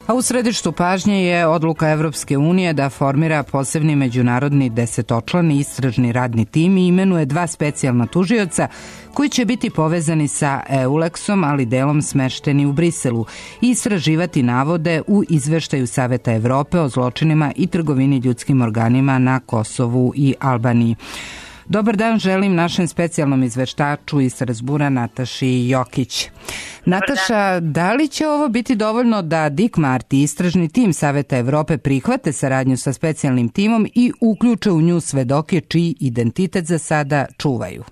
A u središtu pažnje je odluka Evropske unije da formira posebni međunarodni 10-člani istražni radni tim i imenuje 2 specijalna tužioca koji će biti povezani sa EULEX-om, ali delom smešteni u Briselu i istraživati navode u izveštaju Saveta Evrope o zločinima i trgovini ljudskim organima na Kosovu i Albaniji. Dobar dan želim našem specijalnom izveštaču iz Strazbura Nataši Jokić. Nataša, da li će ovo biti dovoljno da Dick Marty, istražni tim Saveta Evrope, prihvate saradnju sa specijalnim timom i uključe u nju svedoke čiji identitet za sada čuvaju?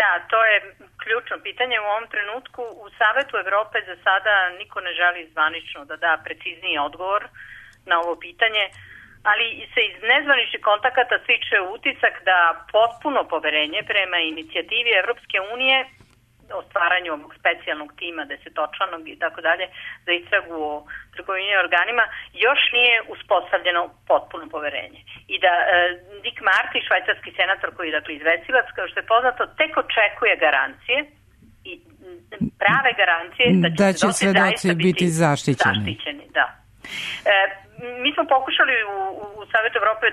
Da, to je ključno pitanje u ovom trenutku. U Savetu Evrope za sada niko ne želi zvanično da da precizniji odgovor na ovo pitanje, ali se iz nezvaničnih kontakata stiče utisak da potpuno poverenje prema inicijativi Evropske unije o stvaranju ovog specijalnog tima, 10-članog i tako dalje, za istragu o trgovini organima, još nije uspostavljeno potpuno poverenje. I da Dick Marty, švajcarski senator koji je dakle izvestilac, kao što je poznato, tek očekuje garancije i prave garancije da će svedoci biti zaštićeni. Da. Mi smo pokušali u Savetu Evrope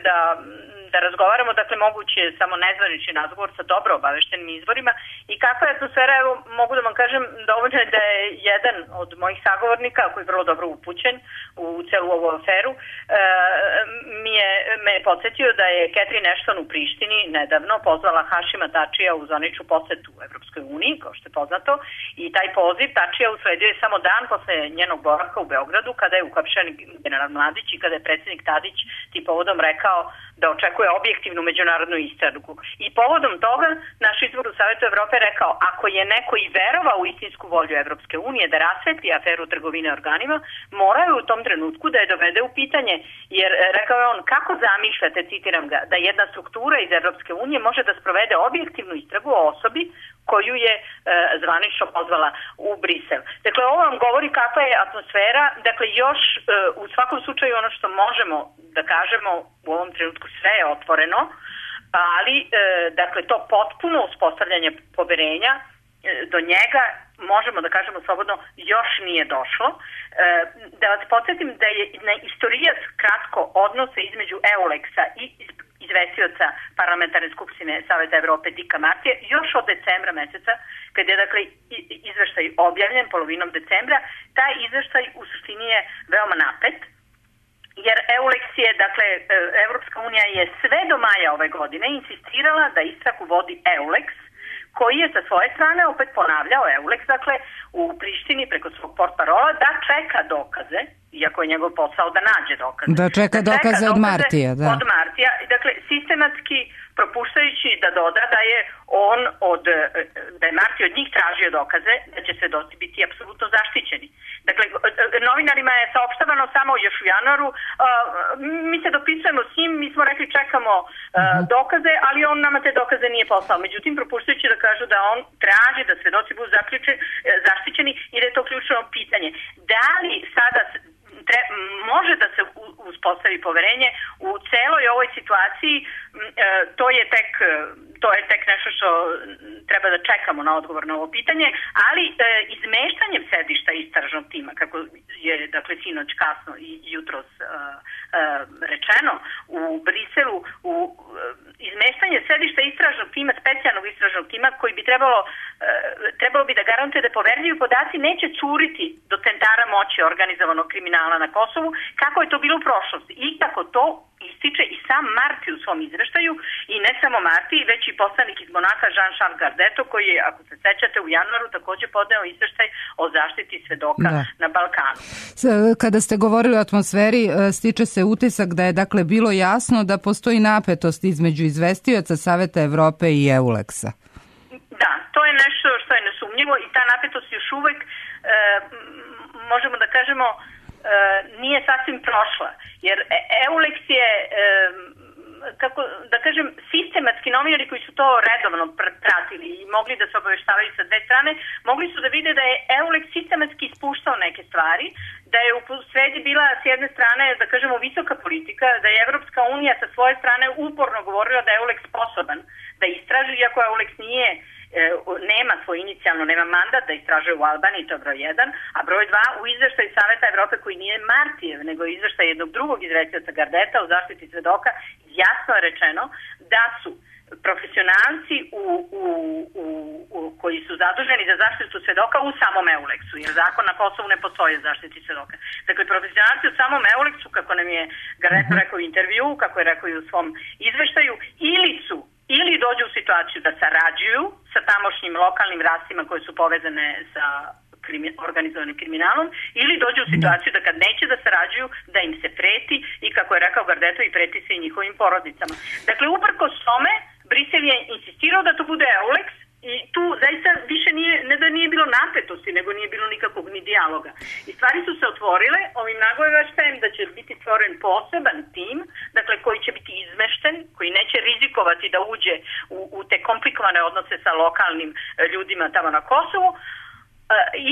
da razgovaramo, dakle moguće je samo nezvanični razgovor sa dobro obaveštenim izvorima i kakva je atmosfera, evo mogu da vam kažem dovoljno je da je jedan od mojih sagovornika, koji je vrlo dobro upućen u celu ovu aferu, me je podsjetio da je Catherine Ashton u Prištini nedavno pozvala Hašima Tačija u zvaničnu posetu u Evropskoj uniji, kao što je poznato, i taj poziv Tačija usledio je samo dan posle njenog boravka u Beogradu, kada je uhapšen general Mladić i kada je predsjednik Tadić tim povodom rekao da očekuje objektivnu međunarodnu istragu. I povodom toga naš izvor u Savetu Evrope rekao, ako je neko i verovao u istinsku volju Evropske unije da rasvetli aferu trgovine organima, moraju u tom trenutku da je dovede u pitanje, jer rekao je on, kako zamišljate, citiram ga, da jedna struktura iz Evropske unije može da sprovede objektivnu istragu o osobi koju je zvanično pozvala u Brisel. Dakle, ovo vam govori kakva je atmosfera, dakle još u svakom slučaju ono što možemo da kažemo u ovom trenutku sve je otvoreno, ali dakle to potpuno uspostavljanje poverenja do njega možemo da kažemo slobodno još nije došlo. Da vas podsjetim da je na istorijas kratko odnose između EULEX-a i izvestioca parlamentarne skupštine Saveta Evrope Dicka Martija još od decembra meseca, kad je dakle izveštaj objavljen polovinom decembra, taj izveštaj u suštini je veoma napet, jer EULEX je, dakle, Evropska unija je sve do maja ove godine insistirala da istragu vodi EULEX, koji je sa svoje strane opet ponavljao EULEX, dakle, u Prištini preko svog portparola da čeka dokaze, iako je njegov posao da nađe dokaze. Da čeka dokaze od Martija, da. Od Martija, dakle, sistematski propuštajući da doda da je Marti od njih tražio dokaze da će svedoci biti apsolutno zaštićeni. Dakle, novinarima je saopštavano samo još u januaru, mi se dopisujemo s njim, mi smo rekli čekamo dokaze, ali on nama te dokaze nije poslao. Međutim, propuštajući da kažu da on traži da svedoci budu zaštićeni i da je to ključno pitanje. Da li sada može da se uspostavi poverenje u celoj ovoj situaciji, to je tek nešto što treba da čekamo na odgovor na ovo pitanje, ali izmeštanjem sedišta istražnog tima, kako je dakle sinoć kasno i jutros rečeno u Briselu, izmeštanje sedišta istražnog tima, specijalnog istražnog tima koji bi trebalo bi da garantuje da poverljivi podaci neće curiti do centara moći organizovanog kriminala na Kosovu, kako je to bilo u prošlosti i kako to ističe i sam Marti u svom izveštaju, i ne samo Marti, već i poslanik iz Monaka Jean-Charles Gardeto, koji je, ako se sećate, u januaru takođe podneo izveštaj o zaštiti svedoka na Balkanu. Kada ste govorili o atmosferi, stiče se utisak da je dakle bilo jasno da postoji napetost između izvestioca Saveta Evrope i EULEX-a. Da, to je nešto što je nesumnjivo i ta napetost još uvek, možemo da kažemo, nije sasvim prošla, jer EULEX je, kako da kažem, sistematski novinari koji su to redovno pratili i mogli da se obaveštavaju sa dve strane, mogli su da vide da je EULEX sistematski ispuštao neke stvari, da je u sredi bila s jedne strane, da kažemo, visoka politika, da je Evropska unija sa svoje strane uporno govorila da je EULEX sposoban da istraži, iako EULEX nije nema svoj inicijalno, nema mandat da istražuje u Albaniji, to je broj 1, a broj 2 u izveštaju Saveta Evrope koji nije Martijev, nego izveštaj jednog drugog izvestioca Gardeta u zaštiti svedoka, jasno je rečeno da su profesionalci koji su zaduženi za zaštitu svedoka u samom EULEX-u, jer zakon na Kosovu ne postoji za zaštiti svedoka. Dakle, profesionalci u samom EULEX-u, kako nam je Gardeto rekao u intervju, kako je rekao i u svom izveštaju, ili dođu u situaciju da sarađuju sa tamošnjim lokalnim rastima koje su povezane sa organizovanim kriminalom, ili dođu u situaciju da kad neće da sarađuju, da im se preti i, kako je rekao Gardeto, i preti se i njihovim porodicama. Dakle, uprkos tome, Brisel je insistirao da to bude EULEX i tu zaista više ne da nije bilo napetosti, nego nije bilo nikakvog ni dijaloga. I stvari su se otvorile ovim nagoveštajem da će biti stvoren poseban tim, dakle koji će biti izmešten, koji neće rizikovati da uđe u te komplikovane odnose sa lokalnim ljudima tamo na Kosovu.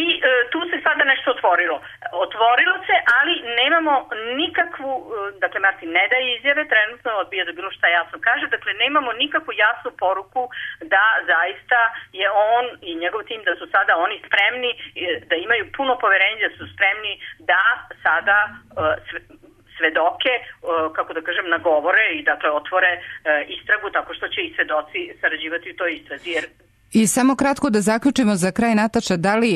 I tu se sada nešto otvorilo. Otvorilo se, ali nemamo nikakvu, dakle Martin ne daje izjave, trenutno odbija da bilo šta jasno kaže, dakle nemamo nikakvu jasnu poruku da zaista je on i njegov tim, da su sada oni spremni, da imaju puno poverenja, da su spremni da sada svedoke, kako da kažem, nagovore i dakle otvore istragu tako što će i svedoci sarađivati u toj istrazi, jer I samo kratko da zaključimo za kraj, Nataša, da li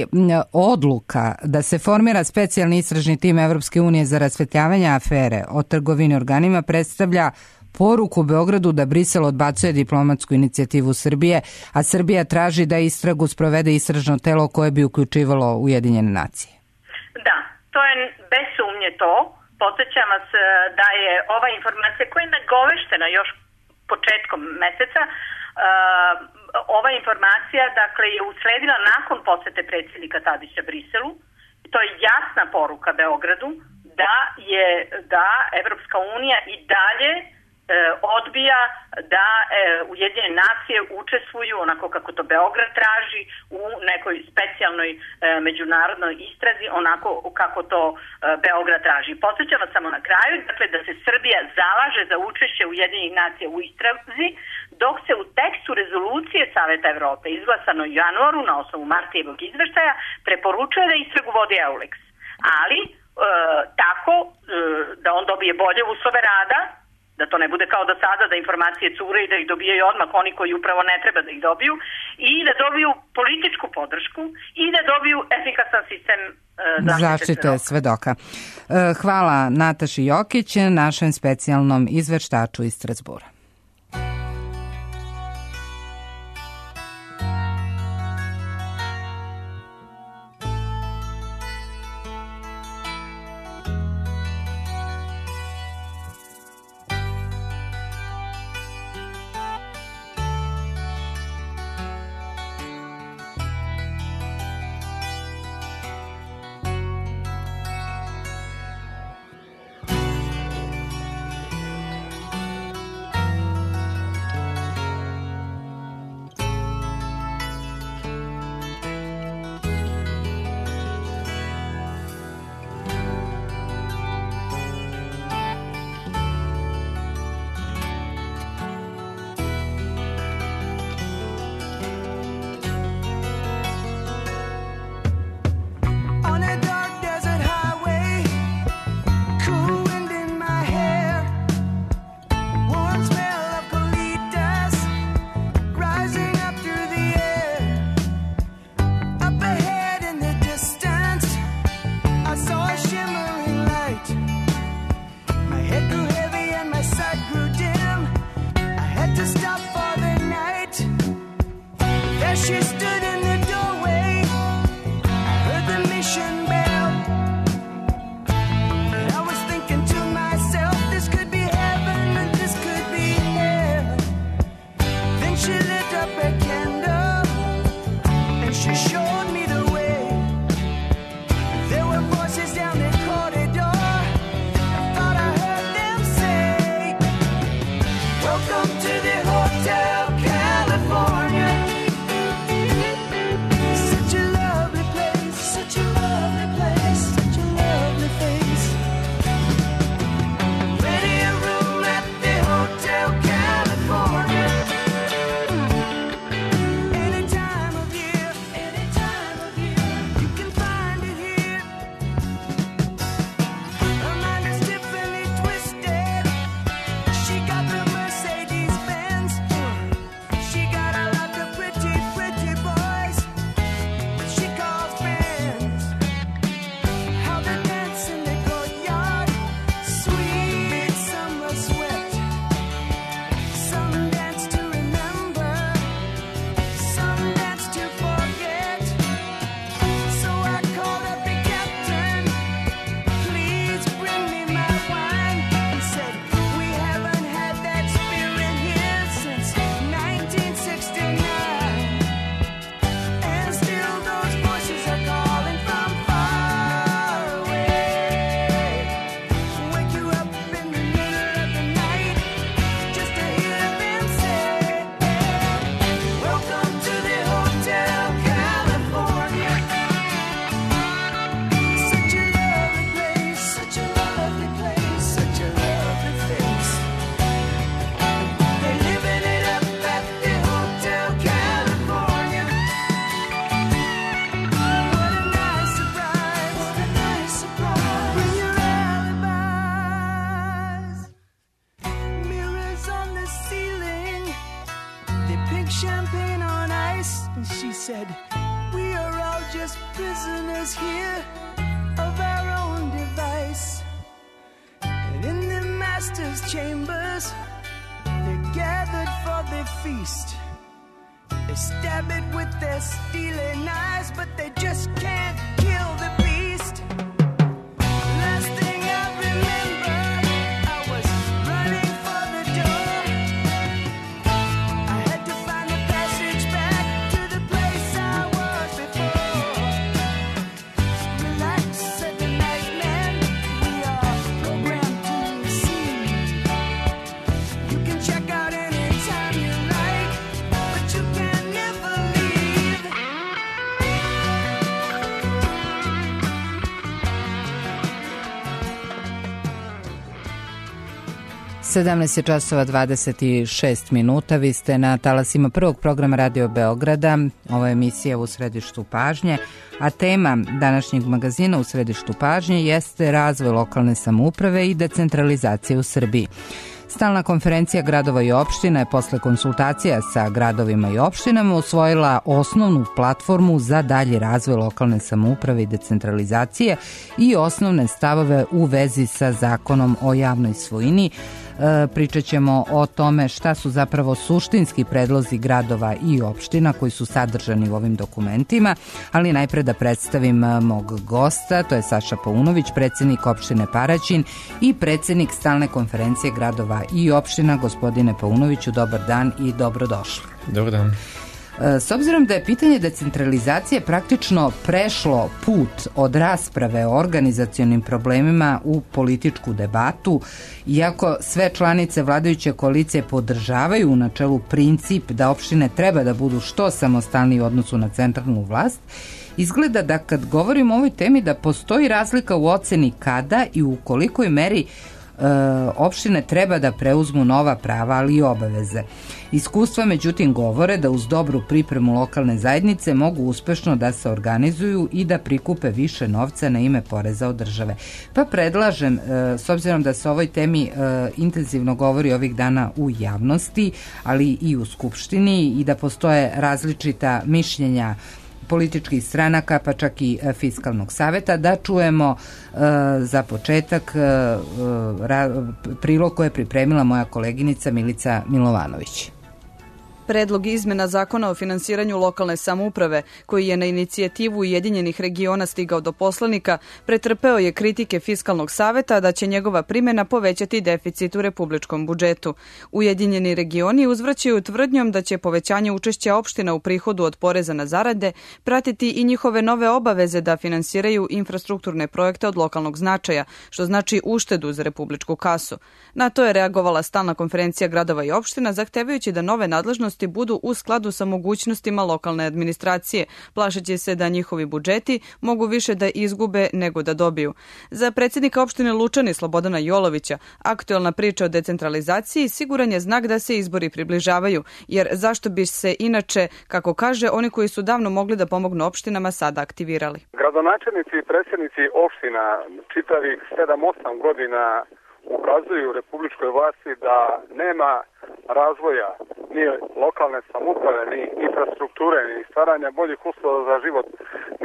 odluka da se formira specijalni istražni tim Evropske unije za rasvetljavanje afere o trgovini organima predstavlja poruku Beogradu da Brisel odbacuje diplomatsku inicijativu Srbije, a Srbija traži da istragu sprovede istražno telo koje bi uključivalo Ujedinjene nacije? Da, to je bez sumnje to. Podsjećam vas da je ova informacija koja je nagoveštena još početkom meseca, ova informacija dakle je usledila nakon posete predsjednika Tadića Briselu. To je jasna poruka Beogradu da Evropska unija i dalje odbija da Ujedinjene nacije učestvuju onako kako to Beograd traži u nekoj specijalnoj međunarodnoj istrazi, onako kako to Beograd traži. Podsjećam vas samo na kraju, dakle da se Srbija zalaže za učešće Ujedinjenih nacija u istrazi, dok se u tekstu rezolucije Saveta Evrope izglasano u januaru na osnovu Martijevog izveštaja preporučuje da istragu vodi EULEX. Ali tako da on dobije bolje uslove rada, da to ne bude kao do sada da informacije cure i da ih dobijaju odmah oni koji upravo ne treba da ih dobiju, i da dobiju političku podršku i da dobiju efikasan sistem zaštite svedoka. Hvala Nataši Jokić, našem specijalnom izveštaču iz Strazbura. said, we are all just prisoners here of our own device. And in the master's chambers, they're gathered for their feast. They stab it with their steely knives, but they just can't kill the beast. Last thing I remember, I was running for the door. I had to find a passage back to the place I was before. Relax, said the night man, we are programmed to receive. You can check out anytime you like, but you can never leave. 17 je časova 26 minuta. Vi ste na talasima prvog programa Radio Beograda. Ovo je emisija U središtu pažnje, a tema današnjeg magazina U središtu pažnje jeste razvoj lokalne samouprave i decentralizacije u Srbiji. Stalna konferencija gradova i opština je posle konsultacija sa gradovima i opštinama usvojila osnovnu platformu za dalji razvoj lokalne samouprave i decentralizacije i osnovne stavove u vezi sa zakonom o javnoj svojini. Pričat ćemo o tome šta su zapravo suštinski predlozi gradova i opština koji su sadržani u ovim dokumentima, ali najpre da predstavim mog gosta, to je Saša Paunović, predsjednik opštine Paraćin i predsjednik Stalne konferencije gradova i opština. Gospodine Paunoviću, dobar dan i dobrodošli. Dobar dan. S obzirom da je pitanje decentralizacije praktično prešlo put od rasprave o organizacionim problemima u političku debatu, iako sve članice vladajuće koalicije podržavaju u načelu princip da opštine treba da budu što samostalniji u odnosu na centralnu vlast, izgleda da kad govorimo o ovoj temi da postoji razlika u oceni kada i u kolikoj meri opštine treba da preuzmu nova prava, ali i obaveze. Iskustva međutim govore da uz dobru pripremu lokalne zajednice mogu uspešno da se organizuju i da prikupe više novca na ime poreza od države. Pa predlažem, s obzirom da se o ovoj temi intenzivno govori ovih dana u javnosti, ali i u Skupštini i da postoje različita mišljenja političkih stranaka, pa čak i Fiskalnog saveta, da čujemo za početak prilog koje je pripremila moja koleginica Milica Milovanović. Predlog izmena Zakona o finansiranju lokalne samouprave, koji je na inicijativu Ujedinjenih regiona stigao do poslanika, pretrpeo je kritike Fiskalnog saveta da će njegova primjena povećati deficit u republičkom budžetu. Ujedinjeni regioni uzvraćaju tvrdnjom da će povećanje učešća opština u prihodu od poreza na zarade pratiti i njihove nove obaveze da finansiraju infrastrukturne projekte od lokalnog značaja, što znači uštedu za republičku kasu. Na to je reagovala Stalna konferencija gradova i opština, zahtevajući da nove nadležnosti budu u skladu sa mogućnostima lokalne administracije, plašeći se da njihovi budžeti mogu više da izgube nego da dobiju. Za predsjednika opštine Lučani Slobodana Jolovića, aktuelna priča o decentralizaciji siguran je znak da se izbori približavaju, jer zašto bi se inače, kako kaže, oni koji su davno mogli da pomognu opštinama sada aktivirali? Gradonačelnici i predsjednici opština čitavih 7-8 godina ukazuju republičkoj vlasti da nema razvoja ni lokalne samouprave, ni infrastrukture, ni stvaranja boljih uslova za život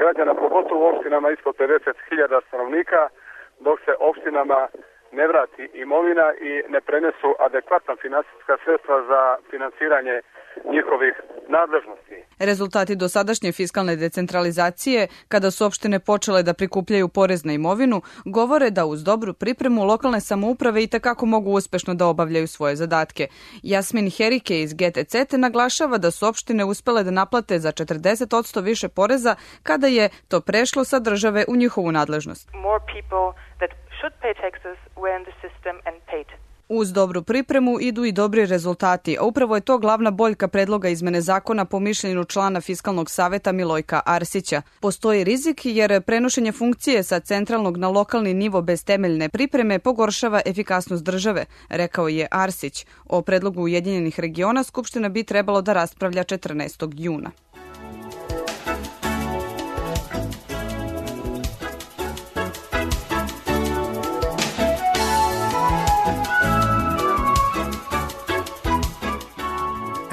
građana, pogotovo u opštinama ispod 50.000 stanovnika, dok se opštinama ne vrati imovina i ne prenesu adekvatna finansijska sredstva za finansiranje njihovih nadležnosti. Rezultati dosadašnje fiskalne decentralizacije, kada su opštine počele da prikupljaju porez na imovinu, govore da uz dobru pripremu lokalne samouprave i takako mogu uspešno da obavljaju svoje zadatke. Jasmin Herike iz GTC naglašava da su opštine uspele da naplate za 40% više poreza kada je to prešlo sa države u njihovu nadležnost. Uz dobru pripremu idu i dobri rezultati, a upravo je to glavna boljka predloga izmene zakona po mišljenju člana Fiskalnog saveta Milojka Arsića. Postoji rizik jer prenošenje funkcije sa centralnog na lokalni nivo bez temeljne pripreme pogoršava efikasnost države, rekao je Arsić. O predlogu Ujedinjenih regiona Skupština bi trebalo da raspravlja 14. juna.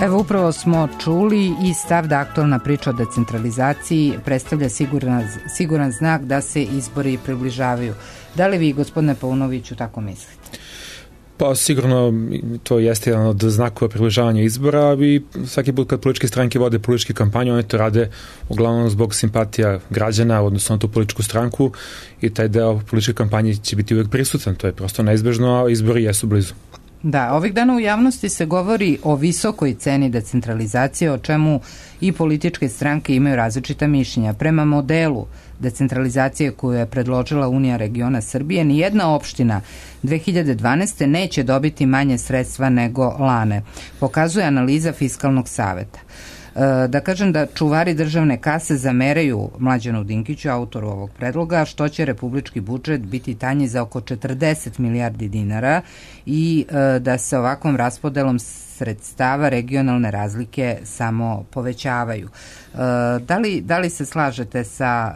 Evo upravo smo čuli i stav da aktualna priča o decentralizaciji predstavlja siguran znak da se izbori približavaju. Da li vi, gospodine Paunoviću, tako mislite? Pa sigurno to jeste jedan od znakova približavanja izbora i svaki put kad političke stranke vode političke kampanje, one to rade uglavnom zbog simpatija građana, odnosno na tu političku stranku, i taj deo političke kampanje će biti uvijek prisutan, to je prosto neizbežno, a izbori jesu blizu. Da, ovih dana u javnosti se govori o visokoj ceni decentralizacije, o čemu i političke stranke imaju različita mišljenja. Prema modelu decentralizacije koju je predložila Unija regiona Srbije, nijedna opština 2012. neće dobiti manje sredstva nego Lane, pokazuje analiza Fiskalnog saveta. Da kažem da čuvari državne kase zameraju Mlađanu Dinkiću, autoru ovog predloga, što će republički budžet biti tanji za oko 40 milijardi dinara i da se ovakvom raspodelom sredstava regionalne razlike samo povećavaju. Da li se slažete sa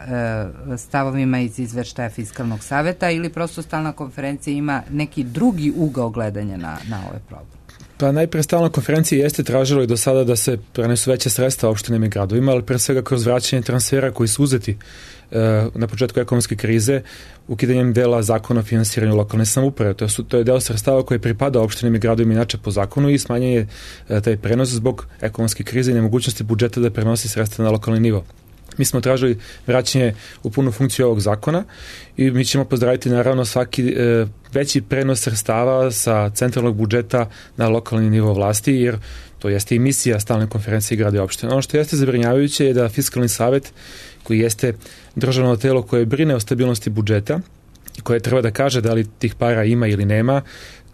stavovima iz izveštaja Fiskalnog saveta ili prosto stalna konferencija ima neki drugi ugao gledanja na ovaj problem? Pa najpre stalna konferencija jeste tražila i do sada da se prenesu veće sredstva opštinama i gradovima, ali pre svega kroz vraćanje transfera koji su uzeti na početku ekonomske krize, ukidanjem dela zakona o finansiranju lokalne samouprave. To je deo sredstava koji pripada opštinama i gradovima inače po zakonu i smanjenje taj prenos zbog ekonomske krize i nemogućnosti budžeta da prenosi sredstva na lokalni nivo. Mi smo tražili vraćanje u punu funkciju ovog zakona i mi ćemo pozdraviti naravno svaki veći prenos sredstava sa centralnog budžeta na lokalni nivo vlasti, jer to jeste i misija stalne konferencije grada i opštine. Ono što jeste zabrinjavajuće je da Fiskalni savet, koji jeste državno telo koje brine o stabilnosti budžeta, koje treba da kaže da li tih para ima ili nema,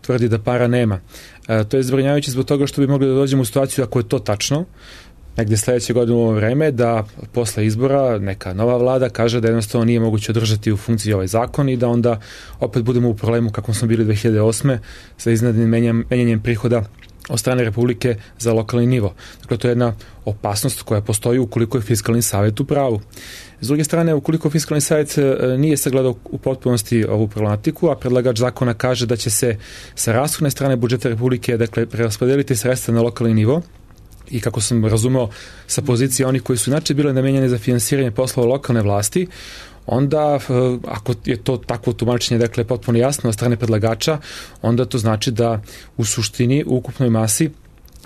tvrdi da para nema. To je zabrinjavajuće zbog toga što bi mogli da dođemo u situaciju, ako je to tačno, negdje sledeće godine u ovo vreme, da posle izbora neka nova vlada kaže da jednostavno nije moguće održati u funkciji ovaj zakon i da onda opet budemo u problemu kakvom smo bili 2008. sa iznenadnim menjanjem prihoda od strane Republike za lokalni nivo. Dakle, to je jedna opasnost koja postoji ukoliko je Fiskalni savet u pravu. S druge strane, ukoliko Fiskalni savet nije sagledao u potpunosti ovu problematiku, a predlagač zakona kaže da će se sa rashodne strane budžeta Republike, dakle, preraspodeliti sredstva na lokalni nivo, i kako sam razumeo sa pozicije onih koji su inače bile namenjene za finansiranje poslova lokalne vlasti, onda ako je to takvo tumačenje, dakle, potpuno jasno od strane predlagača, onda to znači da u suštini, u ukupnoj masi,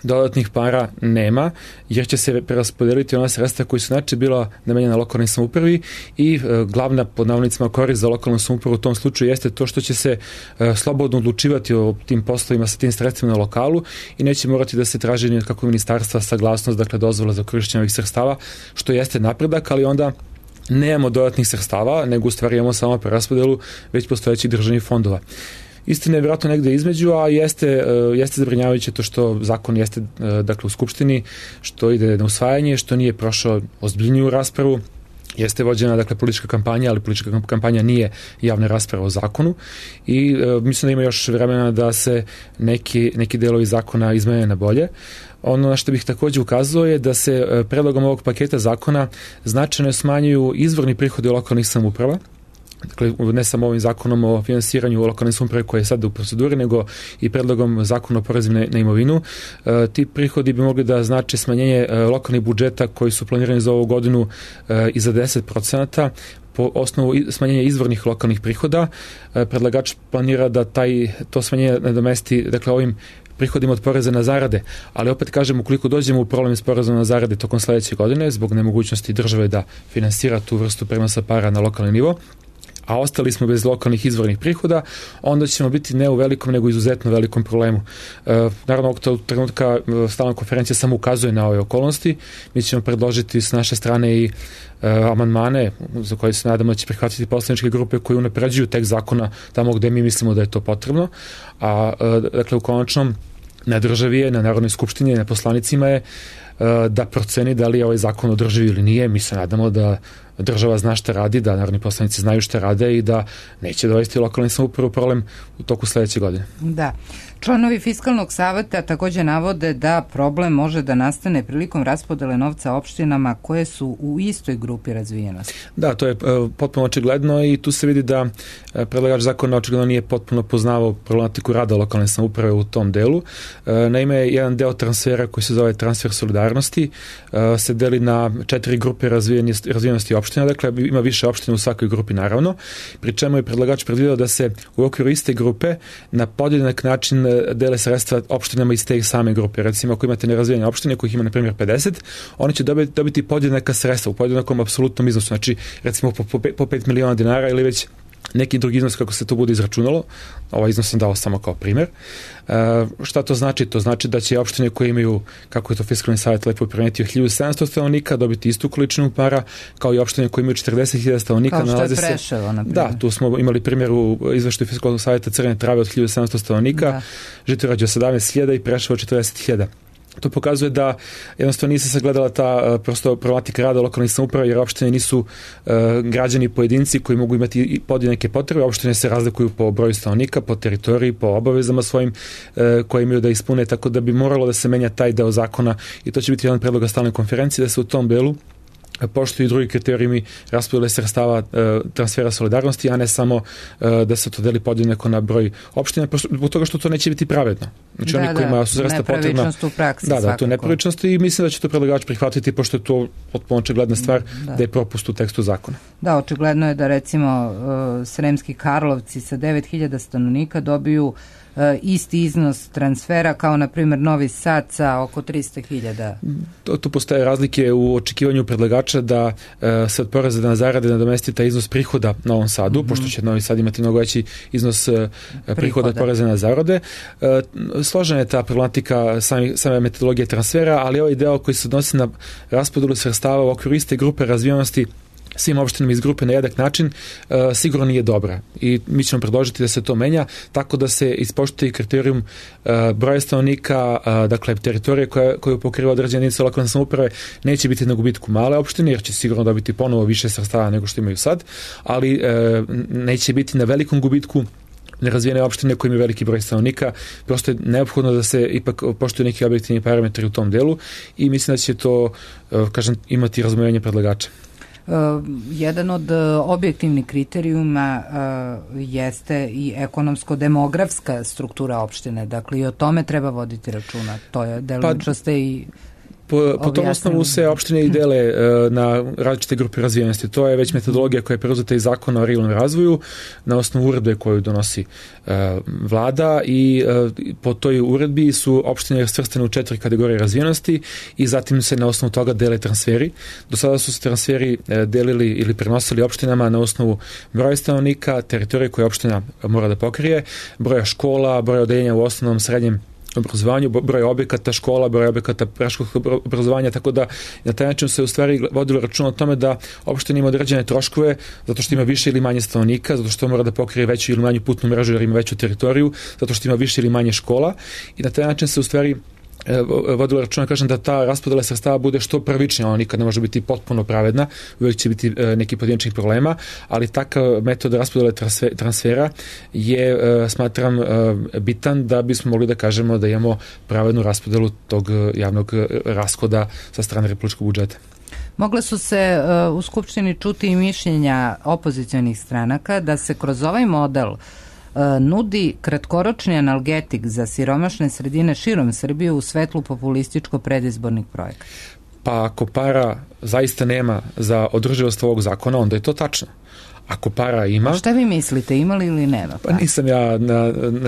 dodatnih para nema, jer će se preraspodeliti ona sredstva koji su inače bila namenjena lokalnoj samoupravi i glavna, pod navodnicima, korist za lokalnu samoupravu u tom slučaju jeste to što će se slobodno odlučivati o tim poslovima sa tim sredstvima na lokalu i neće morati da se traži ni od kakvog ministarstva saglasnost, dakle dozvola za korišćenje ovih sredstava, što jeste napredak, ali onda nemamo dodatnih sredstava, nego u stvari imamo samo preraspodelu već postojećih državnih fondova. Istina je vjerojatno negde između, a jeste zabrinjavajuće to što zakon jeste, dakle, u Skupštini, što ide na usvajanje, što nije prošao ozbiljniju raspravu. Jeste vođena, dakle, politička kampanja, ali politička kampanja nije javna rasprava o zakonu i mislim da ima još vremena da se neki delovi zakona izmene na bolje. Ono na što bih također ukazao je da se predlogom ovog paketa zakona značajno smanjuju izvorni prihodi lokalnih samouprava. Dakle, ne samo ovim zakonom o finansiranju lokalne samouprave koje je sada u proceduri, nego i predlogom zakona o porezu na imovinu. Ti prihodi bi mogli da znače smanjenje lokalnih budžeta koji su planirani za ovu godinu i za 10%, po osnovu smanjenja izvornih lokalnih prihoda. Predlagač planira da to smanjenje nadomesti, dakle, ovim prihodima od poreza na zarade, ali opet kažem, ukoliko dođemo u problem s porezom na zarade tokom sledeće godine, zbog nemogućnosti države da finansira tu vrstu prenosa para na lokalni nivo, a ostali smo bez lokalnih izvornih prihoda, onda ćemo biti ne u velikom, nego izuzetno velikom problemu. Naravno, ovog trenutka stalna konferencija samo ukazuje na ove okolnosti. Mi ćemo predložiti s naše strane i amandmane za koje se nadamo da će prihvatiti poslaničke grupe koji unapređuju tekst zakona tamo gde mi mislimo da je to potrebno. A dakle, u konačnom, na državi je, na Narodnoj skupštini, na poslanicima je da proceni da li je ovaj zakon održiv ili nije. Mi se nadamo da država zna šta radi, da narodni poslanici znaju šta rade i da neće dovesti lokalni samoupravu problem u toku sledeće godine. Da. Članovi Fiskalnog saveta takođe navode da problem može da nastane prilikom raspodele novca opštinama koje su u istoj grupi razvijenosti. Da, to je potpuno očigledno i tu se vidi da predlagač zakona očigledno nije potpuno poznavao problematiku rada lokalne samouprave u tom delu. Naime, jedan deo transfera koji se zove transfer solidarnosti se deli na 4 grupe razvijenosti opština, dakle ima više opština u svakoj grupi naravno, pri čemu je predlagač predvideo da se u okviru iste grupe na podjednak način dele sredstva opštinama iz te same grupe. Recimo, ako imate nerazvijene opštine kojih ima na primjer 50, oni će dobiti podjednaka sredstva u podjednakom apsolutnom iznosu, znači recimo po 5 miliona dinara ili već neki drugi iznos kako se to bude izračunalo. Ovaj iznos sam dao samo kao primjer. Šta to znači? To znači da će opštine koje imaju, kako je to Fiskalni savjet lepo primetio, 1700 stanovnika dobiti istu količinu para, kao i opštine koje imaju 40.000 stanovnika. Kao što je Preševo, na primjer. Da, tu smo imali primjer u izveštaju Fiskalnog savjeta Crne Trave od 1700 stanovnika, Žitorađe 17.000 i Preševo 40.000. To pokazuje da jednostavno nije se sagledala ta prosto problematika rada lokalnih samouprava, jer opštine nisu građani pojedinci koji mogu imati podjednake potrebe. Opštine se razlikuju po broju stanovnika, po teritoriji, po obavezama svojim koje imaju da ispune, tako da bi moralo da se menja taj deo zakona i to će biti jedan predlog stalne konferencije da se u tom delu poštuju i drugi kriterijumi raspodele sredstava transfera solidarnosti, a ne samo da se to deli podjednako na broj opština, zbog toga što to neće biti pravedno. Znači oni kojima su sredstva potrebna. Nepravičnost u praksi svakako. Da, to je nepravičnost i mislim da će to predlagač prihvatiti, pošto je to potpuno očigledna stvar da je propust u tekstu zakona. Da, očigledno je da recimo Sremski Karlovci sa 9.000 stanovnika dobiju isti iznos transfera kao na primjer Novi Sad sa oko 300.000. Tu postoje razlike u očekivanju predlagača da se od poreza na zarade nadomesti taj iznos prihoda Novom Sadu, pošto će Novi Sad imati mnogo veći iznos prihoda od poreza na zarade. Složena je ta problematika same metodologije transfera, ali ovaj deo koji se odnosi na raspodelu sredstava u okviru iste grupe razvijenosti svim opštinama iz grupe na jednak način sigurno nije dobra i mi ćemo predložiti da se to menja tako da se ispoštuje kriterijum broja stanovnika, dakle teritorije koju pokriva određene jedinice lokalne samouprave neće biti na gubitku male opštine jer će sigurno dobiti ponovo više sredstava nego što imaju sad, ali neće biti na velikom gubitku nerazvijene opštine koje imaju veliki broj stanovnika. Prosto je neophodno da se ipak poštuju neki objektivni parametri u tom delu i mislim da će to, imati razumevanje predlagača. Jedan od objektivnih kriterijuma jeste i ekonomsko-demografska struktura opštine. Dakle, i o tome treba voditi računa. To je delimično ste i po tom osnovu se opštine i dele na različite grupe razvijenosti. To je već metodologija koja je preuzeta iz zakona o regionalnom razvoju na osnovu uredbe koju donosi vlada i po toj uredbi su opštine svrstane u 4 kategorije razvijenosti i zatim se na osnovu toga dele transferi. Do sada su se transferi delili ili prenosili opštinama na osnovu broja stanovnika, teritorije koje opština mora da pokrije, broja škola, broja odeljenja u osnovnom, srednjem obrazovanju, broj objekata škola, broj objekata predškolskog obrazovanja, tako da na taj način se u stvari vodilo račun o tome da opština ima određene troškove zato što ima više ili manje stanovnika, zato što mora da pokrije veću ili manju putnu mrežu jer ima veću teritoriju, zato što ima više ili manje škola i na taj način se u stvari vodilo računa, da ta raspodela sredstava bude što pravičnija, ona nikad ne može biti potpuno pravedna, uvijek će biti neki pojedinačnih problema, ali takav metod raspodele transfera je, smatram, bitan da bismo mogli da kažemo da imamo pravednu raspodelu tog javnog rashoda sa strane republičkog budžeta. Mogle su se u Skupštini čuti i mišljenja opozicionih stranaka da se kroz ovaj model nudi kratkoročni analgetik za siromašne sredine širom Srbije u svetlu populističko predizbornih projekata. Pa ako para zaista nema za održivost ovog zakona, onda je to tačno. Ako para ima... A šta vi mislite, ima li ili nema? Pa nisam ja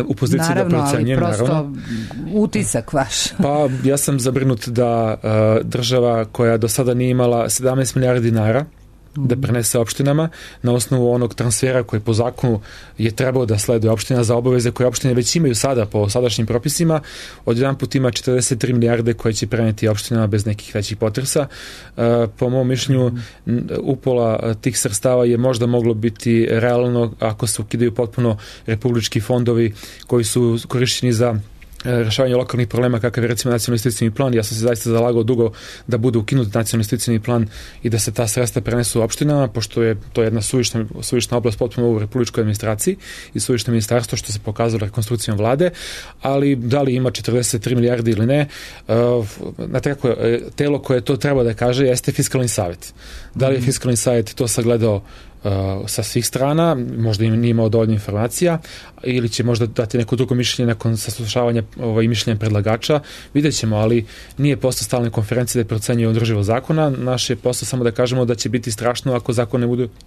u poziciji da procenjujem. Naravno, ali prosto utisak vaš. Pa ja sam zabrinut da država koja do sada nije imala 17 milijardi dinara da prenese opštinama na osnovu onog transfera koji po zakonu je trebao da sleduje opština za obaveze koje opštine već imaju sada po sadašnjim propisima. Odjedan put ima 43 milijarde koje će preneti opštinama bez nekih većih potresa. Po mom mišljenju upola tih sredstava je možda moglo biti realno ako se ukidaju potpuno republički fondovi koji su korišćeni za rešavanje lokalnih problema kakav je recimo nacionalni investicioni plan. Ja sam se zaista zalagao dugo da bude ukinut nacionalni investicioni plan i da se ta sredstva prenesu u opštinama, pošto je to jedna suvišna oblast potpuno u republičkoj administraciji i suvišno ministarstvo, što se pokazalo rekonstrukcijom vlade, ali da li ima 43 milijardi ili ne, znate kako, telo koje to treba da kaže jeste Fiskalni savet. Da li je Fiskalni savet to sagledao sa svih strana, možda im nije imao dovoljno informacija ili će možda dati neko drugo mišljenje nakon saslušavanja mišljenja predlagača, vidjet ćemo, ali nije posao stalne konferencije da procenjuje održivost zakona, naš je posao samo da kažemo da će biti strašno ako zakon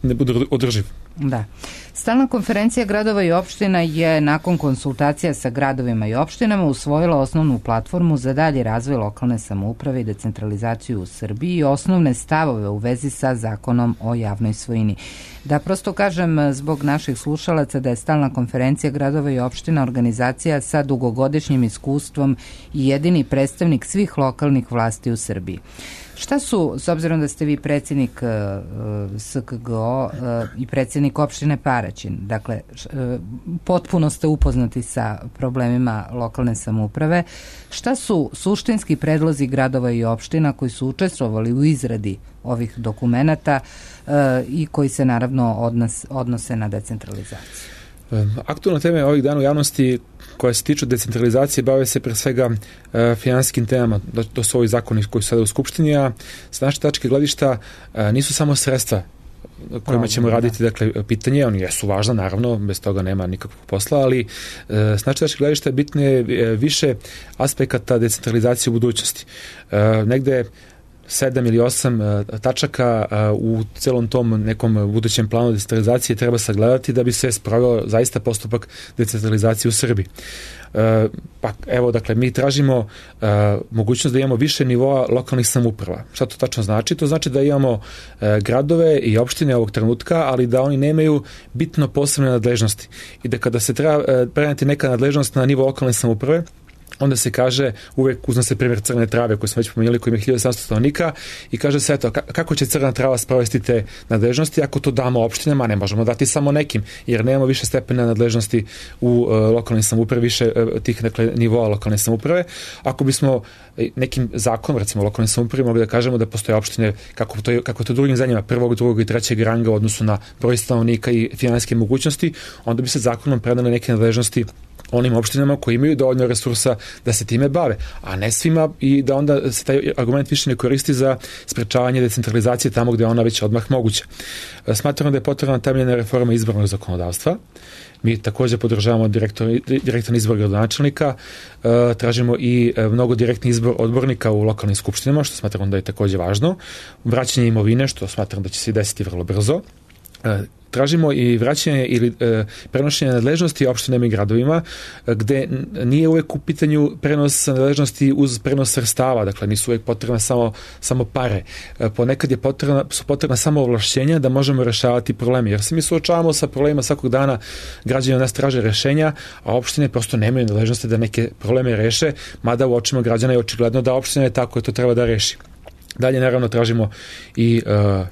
ne bude održiv. Da. Stalna konferencija gradova i opština je nakon konsultacija sa gradovima i opštinama usvojila osnovnu platformu za dalji razvoj lokalne samouprave i decentralizaciju u Srbiji i osnovne stavove u vezi sa zakonom o javnoj svojini. Da prosto kažem zbog naših slušalaca da je Stalna konferencija gradova i opština organizacija sa dugogodišnjim iskustvom i jedini predstavnik svih lokalnih vlasti u Srbiji. Šta su, s obzirom da ste vi predsjednik SKGO i predsjednik opštine Paraćin, dakle, potpuno ste upoznati sa problemima lokalne samouprave, šta su suštinski predlozi gradova i opština koji su učestvovali u izradi ovih dokumenata i koji se naravno odnose na decentralizaciju? Aktualne teme ovih dana u javnosti koje se tiču decentralizacije bave se pre svega finansijskim temama. To su ovi zakoni koji su sada u Skupštini, a sa naše tačke gledišta nisu samo sredstva kojima ćemo raditi, dakle, pitanje, oni jesu važna, naravno, bez toga nema nikakvog posla, ali s naše tačke gledišta bitno je više aspekata decentralizacije u budućnosti. Negde 7 ili 8 tačaka u celom tom nekom budućem planu decentralizacije treba sagledati da bi se sproveo zaista postupak decentralizacije u Srbiji. Pa evo, dakle, mi tražimo mogućnost da imamo više nivoa lokalnih samouprava. Šta to tačno znači? To znači da imamo gradove i opštine ovog trenutka, ali da oni nemaju bitno posebne nadležnosti. I da kada se treba preneti neka nadležnost na nivo lokalne samouprave, onda se kaže, uvek uzme se primjer Crne Trave koji smo već pomenuli, koji ima 1700 stanovnika i kaže se, eto, kako će Crna Trava sprovesti te nadležnosti ako to damo opštinama, ne možemo dati samo nekim, jer nemamo više stepena nadležnosti u lokalnoj samoupravi, više tih, dakle, nivoa lokalne samouprave. Ako bismo nekim zakonom, recimo lokalne samoupravi, mogli da kažemo da postoje opštine, kako to drugim zemljama, prvog, drugog i trećeg ranga u odnosu na broj stanovnika i finansijske mogućnosti, onda bi se zakonom predale neke nadležnosti onim opštinama koji imaju dovoljno resursa da se time bave, a ne svima, i da onda se taj argument više ne koristi za sprečavanje decentralizacije tamo gde je ona već odmah moguća. Smatramo da je potrebna temeljna reforma izbornog zakonodavstva. Mi također podržavamo direktan izbor gradonačelnika, tražimo i mnogo direktni izbor odbornika u lokalnim skupštinama, što smatramo da je također važno. Vraćanje imovine, što smatramo da će se desiti vrlo brzo. Tražimo i vraćanje ili prenošenje nadležnosti opštinama i gradovima, gde nije uvek u pitanju prenos nadležnosti uz prenos sredstava, dakle nisu uvek potrebna samo pare. Ponekad su potrebna samo ovlašćenja da možemo rešavati probleme, jer se mi suočavamo sa problemima svakog dana, građani od nas traže rešenja, a opštine prosto nemaju nadležnosti da neke probleme reše, mada u očima građana je očigledno da opština je tako, to treba da reši. Dalje, naravno, tražimo i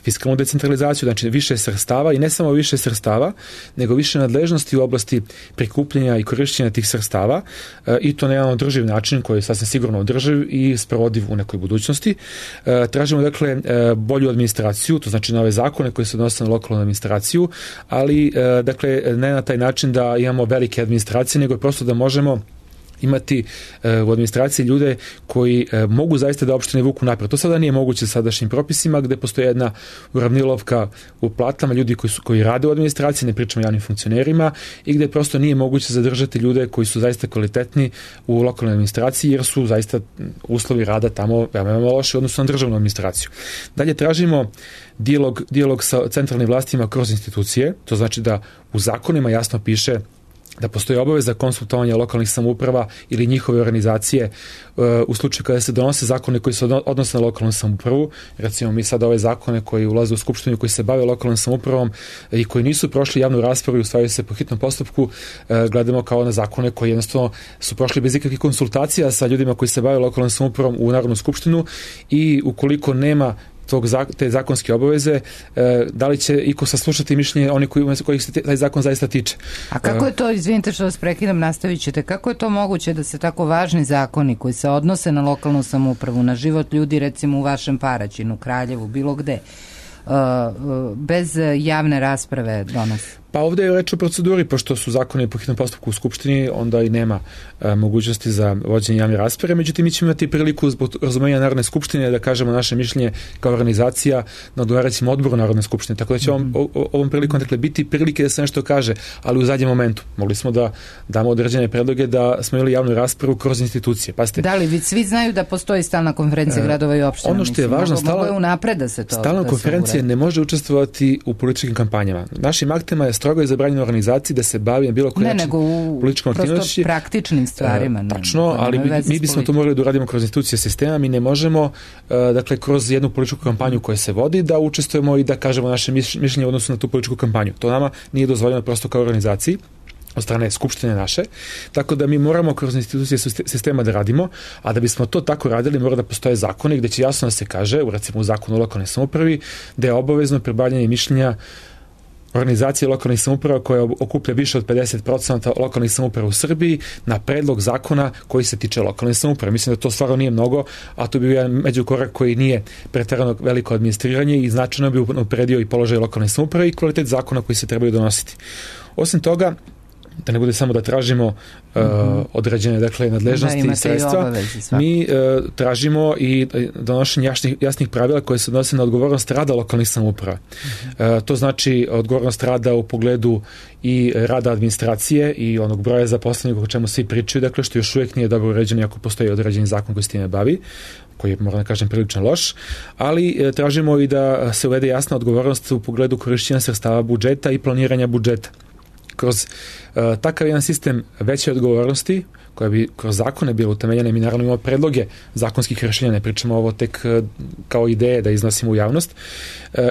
fiskalnu decentralizaciju, znači više sredstava, i ne samo više sredstava, nego više nadležnosti u oblasti prikupljanja i korišćenja tih sredstava, i to na jedan održiv način koji je sasvim sigurno održiv i sprovodiv u nekoj budućnosti. Tražimo, dakle, bolju administraciju, to znači nove zakone koji se odnose na lokalnu administraciju, ali, dakle, ne na taj način da imamo velike administracije, nego prosto da možemo imati u administraciji ljude koji mogu zaista da opštine vuku napred. To sada nije moguće sadašnjim propisima, gde postoji jedna uravnilovka u platama ljudi koji rade u administraciji, ne pričamo o javnim funkcionerima, i gde prosto nije moguće zadržati ljude koji su zaista kvalitetni u lokalnoj administraciji, jer su zaista uslovi rada tamo veoma loši u odnosu na državnu administraciju. Dalje, tražimo dijalog sa centralnim vlastima kroz institucije, to znači da u zakonima jasno piše da postoji obaveza konsultovanja lokalnih samouprava ili njihove organizacije u slučaju kada se donose zakone koji se odnose na lokalnu samoupravu. Recimo, mi sad ove zakone koji ulaze u skupštinu, koji se bave lokalnom samoupravom i koji nisu prošli javnu raspravu i usvajaju se po hitnom postupku, gledamo kao na zakone koji jednostavno su prošli bez ikakvih konsultacija sa ljudima koji se bave lokalnom samoupravom u Narodnu skupštinu, i ukoliko nema te zakonske obaveze, da li će iko saslušati mišljenje oni kojih se taj zakon zaista tiče. A kako je to, izvinite što vas prekidam, nastavit ćete, kako je to moguće da se tako važni zakoni koji se odnose na lokalnu samoupravu, na život ljudi recimo u vašem Paraćinu, Kraljevu, bilo gde, bez javne rasprave donose? Pa ovdje je reč o proceduri, pošto su zakoni po hitnom postupku u Skupštini, onda i nema mogućnosti za vođenje javne rasprave, međutim mi ćemo imati priliku zbog razumenja Narodne skupštine da kažemo naše mišljenje kao organizacija na odgovarajućem odboru Narodne skupštine, tako da će ovom prilikom biti prilike da se nešto kaže, ali u zadnjem momentu. Mogli smo da damo određene predloge da smo imali javnu raspravu kroz institucije. Pazite, da li svi znaju da postoji stalna konferencija gradova i opština? Ono što je važno, stalna konferencija ne može učestvovati u političkim kampanjama. Našim aktima je strogo je zabranjeno organizaciji da se bavi na bilo koji način političkom aktivnošću. Praktičnim stvarima. Tačno, ali mi bismo to morali da uradimo kroz institucije sistema. Mi ne možemo, dakle, kroz jednu političku kampanju koja se vodi, da učestvujemo i da kažemo naše mišljenje u odnosu na tu političku kampanju. To nama nije dozvoljeno prosto kao organizaciji od strane Skupštine naše, tako da mi moramo kroz institucije sistema da radimo, a da bismo to tako radili mora da postoje zakoni gde će jasno da se kaže, recimo u zakonu o lokalnoj samoupravi, da je obavezno pribavljanje mišljenja organizacije lokalnih samouprava koja okuplja više od 50% lokalnih samouprava u Srbiji na predlog zakona koji se tiče lokalne samouprave. Mislim da to stvarno nije mnogo, a to bi bio jedan međukorak koji nije preterano veliko administriranje i značajno bi upredio i položaj lokalne samouprave i kvalitet zakona koji se trebaju donositi. Osim toga, da ne bude samo da tražimo određene, dakle, nadležnosti i sredstva, mi tražimo i donošenje jasnih pravila koje se odnose na odgovornost rada lokalnih samouprava. To znači odgovornost rada u pogledu i rada administracije i onog broja zaposlenih o čemu svi pričaju, dakle, što još uvijek nije dobro uređeno ako postoji određeni zakon koji s time bavi, koji je, moram da kažem, prilično loš, ali tražimo i da se uvede jasna odgovornost u pogledu korišćenja sredstava budžeta i planiranja budžeta. Kroz takav jedan sistem veće odgovornosti, koja bi kroz zakone bilo utemeljene, mi naravno imamo predloge zakonskih rješenja, ne pričamo ovo tek kao ideje da iznosimo u javnost,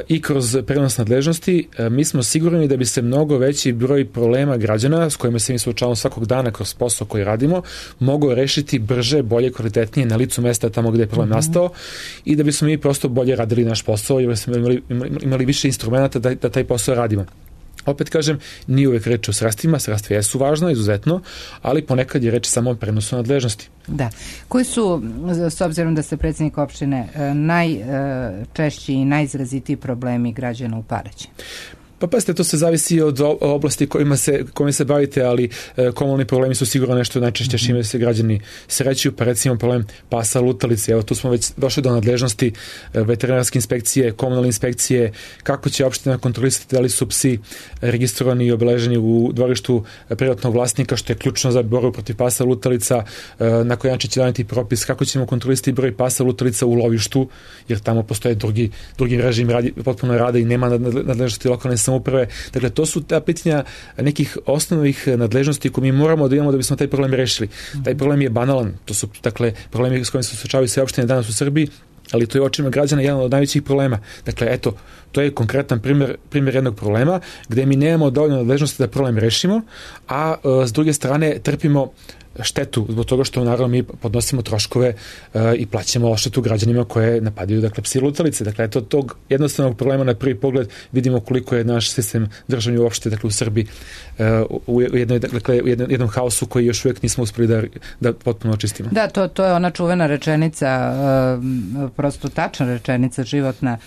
i kroz prenos nadležnosti, mi smo sigurni da bi se mnogo veći broj problema građana s kojima se mi suočavamo svakog dana kroz posao koji radimo, mogao rešiti brže, bolje, kvalitetnije na licu mesta tamo gdje je problem nastao i da bismo mi prosto bolje radili naš posao jer smo imali više instrumenta da taj posao radimo. Opet kažem, nije uvijek reč o sredstvima, sredstva jesu važno, izuzetno, ali ponekad je reč samo o prenosu nadležnosti. Da. Koji su, s obzirom da ste predsjednik opštine, najčešći i najizrazitiji problemi građana u Paraćinu? Pa pazite, to se zavisi od oblasti kojima se bavite, ali komunalni problemi su sigurno nešto najčešće čime se građani srećuju, pa recimo problem pasa lutalice. Evo, tu smo već došli do nadležnosti veterinarske inspekcije, komunalne inspekcije, kako će opština kontrolisati da li su psi registrovani i obeleženi u dvorištu privatnog vlasnika, što je ključno za borbu protiv pasa lutalica, na koji način će doneti propis, kako ćemo kontrolisati broj pasa lutalica u lovištu, jer tamo postoje drugi režim potpuno rada i nema nadležnosti lokalne samouprave. Dakle, to su ta pitanja nekih osnovnih nadležnosti koje mi moramo da imamo da bismo taj problem rešili. Taj problem je banalan. To su, dakle, problemi s kojima se suočavaju sve opštine danas u Srbiji, ali to je u očima građana jedan od najvećih problema. Dakle, eto, to je konkretan primjer jednog problema gdje mi nemamo dovoljno nadležnosti da problem rešimo, a s druge strane trpimo štetu zbog toga što naravno mi podnosimo troškove i plaćamo odštetu građanima koje napadaju, dakle, psi lutalice. Dakle, eto, tog jednostavnog problema na prvi pogled vidimo koliko je naš sistem državni uopšte, dakle, u Srbiji u jednom haosu koji još uvijek nismo uspjeli da potpuno očistimo. Da, to je ona čuvena rečenica, prosto tačna rečenica životna,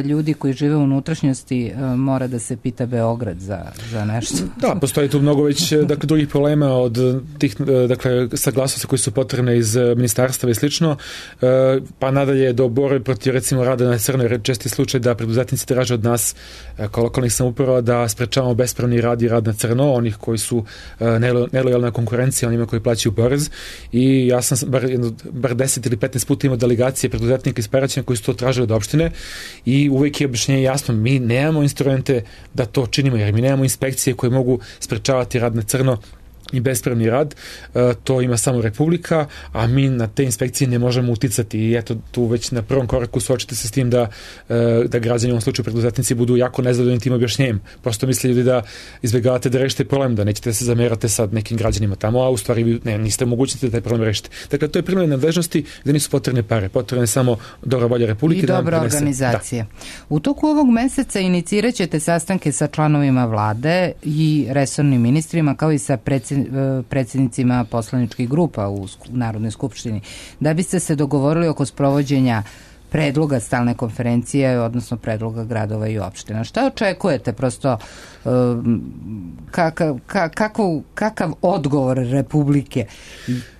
ljudi koji žive u unutrašnjosti mora da se pita Beograd za nešto. Da, postoji tu mnogo već, dakle, drugih problema od tih, dakle, saglasnosti koji su potrebne iz ministarstva i slično, pa nadalje do borbe protiv, recimo, rada na crno, jer česti slučaj da preduzetnici traže od nas kao lokalnih samouprava da sprečavamo bespravni rad i rad na crno, onih koji su nelojalna konkurencija, onima koji plaćaju porez, i ja sam bar 10 ili 15 puta imao delegacije preduzetnika iz Paraćina koji su to tražili od opštine i uvijek je objašnjenje jasno, mi nemamo instrumente da to činimo, jer mi nemamo inspekcije koje mogu sprečavati rad na crno i bespravni rad, to ima samo Republika, a mi na te inspekcije ne možemo uticati i eto tu već na prvom koraku suočite se s tim da građani, u ovom slučaju preduzetnici, budu jako nezadovoljni tim objašnjenjem. Prosto misle ljudi da izbjegavate da rešite problem, da nećete da se zamerate sad nekim građanima tamo, a u stvari vi niste mogućnosti da taj problem rešite. Dakle, to je primjer nadležnosti gde nisu potrebne pare, potrebne samo dobra volja Republike. I dobra organizacija. Da. U toku ovog meseca inicirat ćete sastanke sa članovima vlade i resornim ministrima, kao i sa predsjednicima poslaničkih grupa u Narodnoj skupštini, da biste se dogovorili oko sprovođenja predloga stalne konferencije, odnosno predloga gradova i opština. Šta očekujete? Prosto kakav odgovor Republike?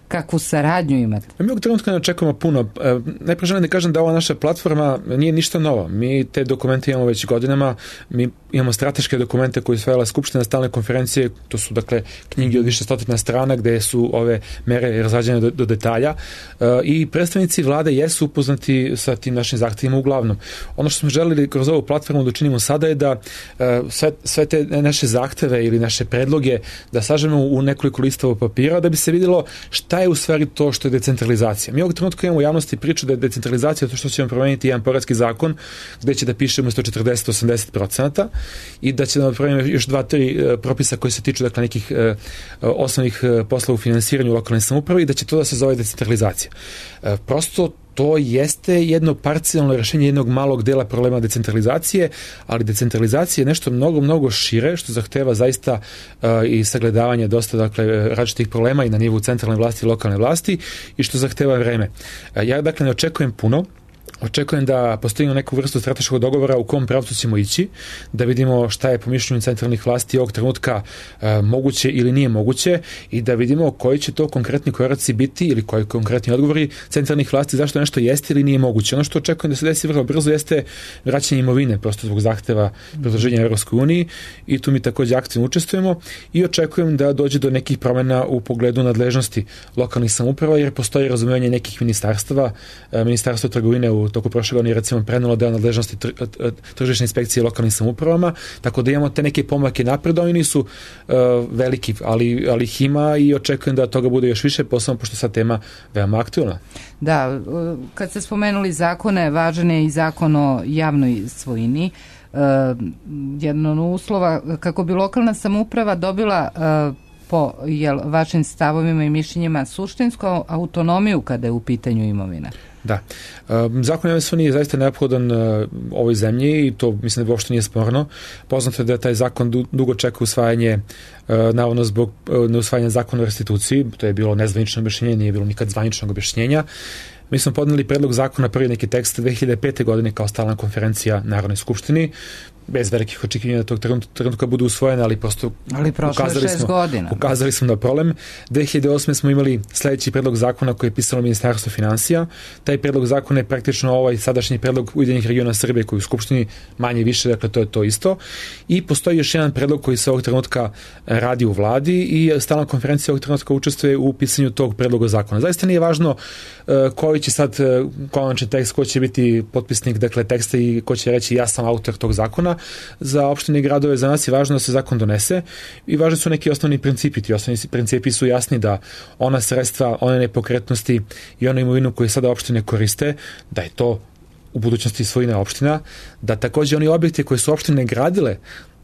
Kakvu saradnju imate? Mi ovog trenutka ne očekujemo puno. Najprije želim da kažem da ova naša platforma nije ništa novo. Mi te dokumente imamo već godinama. Mi imamo strateške dokumente koje usvajala Skupština, stalne konferencije. To su, dakle, knjige od više stotina strana gde su ove mere razrađene do detalja. I predstavnici vlade jesu upoznati sa tim našim zahtevima uglavnom. Ono što smo želeli kroz ovu platformu da učinimo sada je da sve te naše zahteve ili naše predloge da sažemo u nekoliko listova papira da bi se vidjelo šta je u stvari to što je decentralizacija. Mi ovog trenutka imamo u javnosti priču da je decentralizacija to što ćemo promeniti jedan poreski zakon gde će da piše umesto 40-80% i da će da napravimo još 2-3 propisa koji se tiču, dakle, nekih osnovnih poslova u finansiranju lokalne samouprave i da će to da se zove decentralizacija. Prosto to jeste jedno parcijalno rešenje jednog malog dela problema decentralizacije, ali decentralizacija je nešto mnogo, mnogo šire, što zahteva zaista i sagledavanje dosta, dakle, različitih problema i na nivou centralne vlasti i lokalne vlasti i što zahteva vreme. Ja, dakle, ne očekujem puno. Očekujem da postavimo neku vrstu strateškog dogovora u kom pravcu ćemo ići, da vidimo šta je po mišljenju centralnih vlasti ovog trenutka moguće ili nije moguće i da vidimo koji će to konkretni koraci biti ili koji konkretni odgovori centralnih vlasti zašto nešto jeste ili nije moguće. Ono što očekujem da se desi vrlo brzo jeste vraćanje imovine, prosto zbog zahteva pridruženja Evropskoj uniji i tu mi takođe aktivno učestvujemo i očekujem da dođe do nekih promena u pogledu nadležnosti lokalnih samouprava jer postoji razumevanje nekih ministarstava, Ministarstvo trgovine u toku prošle godine recimo prenelo deo nadležnosti tržišne inspekcije lokalnim samoupravama, tako da imamo te neke pomake napred, oni nisu veliki, ali ih ima i očekujem da toga bude još više, posebno pošto sad tema veoma aktualna. Da, kad ste spomenuli zakone, važan je i zakon o javnoj svojini. Jedan od uslova kako bi lokalna samouprava dobila po vašim stavovima i mišljenjima suštinsku autonomiju kada je u pitanju imovina. Da. Zakon o javnoj svojini je zaista neophodan ovoj zemlji i to mislim da uopšte nije sporno. Poznato je da taj zakon dugo čeka usvajanje, navodno zbog neusvajanja zakona o restituciji, to je bilo nezvanično objašnjenje, nije bilo nikad zvaničnog objašnjenja. Mi smo podneli predlog zakona, prvi neki tekst 2005. godine kao stalna konferencija Narodnoj skupštini, bez velikih očekivanja da tog trenutka budu usvojene, ali prosto ukazali smo na problem. 2008. smo imali sledeći predlog zakona koji je pisalo Ministarstvo finansija. Taj predlog zakona je praktično ovaj sadašnji predlog Ujedinjenih regiona Srbije koji u Skupštini manje više, dakle to je to isto. I postoji još jedan predlog koji se ovog trenutka radi u vladi i stalna konferencija ovog trenutka učestvuje u pisanju tog predloga zakona. Zaista nije važno koji će sad konačni tekst, ko će biti potpisnik, dakle, teksta i ko će reći ja sam autor tog zakona. Za opštine i gradove za nas je važno da se zakon donese i važni su neki osnovni principi. Ti osnovni principi su jasni da ona sredstva, one nepokretnosti i onu imovinu koju sada opštine koriste, da je to u budućnosti svojina opština, da takođe oni objekti koje su opštine gradile